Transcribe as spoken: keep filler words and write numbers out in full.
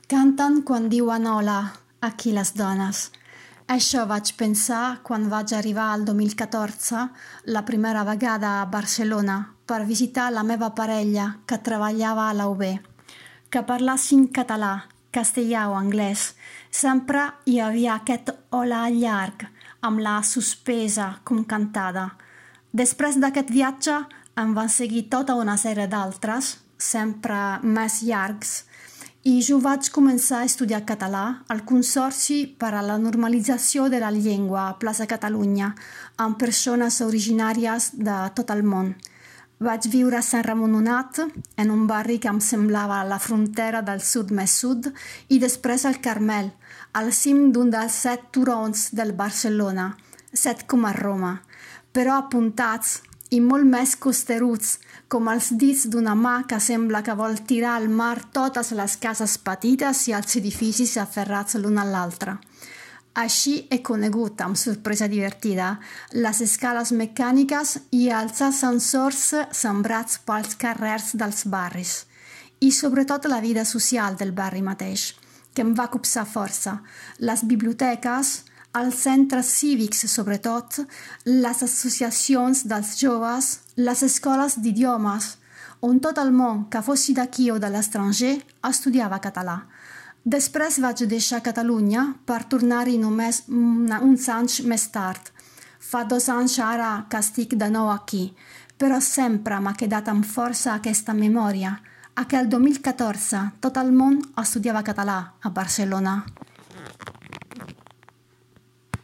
Canten quan diuen hola, aquí les dones. Això vaig pensar quan vaig arribar al dos mil catorze, la primera vegada a Barcelona, per visitar la meva parella que treballava a la U B. Que parlassin català, castellà o anglès, sempre hi havia aquest hola llarg, amb la suspesa com cantada. Després d'aquest viatge em van seguir tota una sèrie d'altres, sempre més llargs, i jo vaig començar a estudiar català al Consorci per a la Normalització de la Llengua a Plaça Catalunya, amb persones originàries de tot el món. Vaig viure a Sant Ramon Nonat, en un barri que em semblava la frontera del sud més sud, i després al Carmel, al cim d'un dels set turons del Barcelona, set com a Roma, però apuntats i molt més costeruts, com els dits d'una mà que sembla que vol tirar al mar totes les cases petites i els edificis aferrats l'un a l'altre. Així he conegut, amb sorpresa divertida, les escales mecàniques i els ascensors sembrats pels carrers dels barris, i sobretot la vida social del barri mateix, que em va copsar força, les biblioteques, els centres cívics, sobretot, les associacions dels joves, les escoles d'idiomes, on tot el món, que fossi d'aquí o de l'estranger, estudiava català. Després vaig deixar Catalunya per tornar-hi només uns anys més tard. Fa dos anys ara que estic de nou aquí, però sempre m'ha quedat amb força aquesta memòria. Aquell dos mil catorze tot el món estudiava català a Barcelona.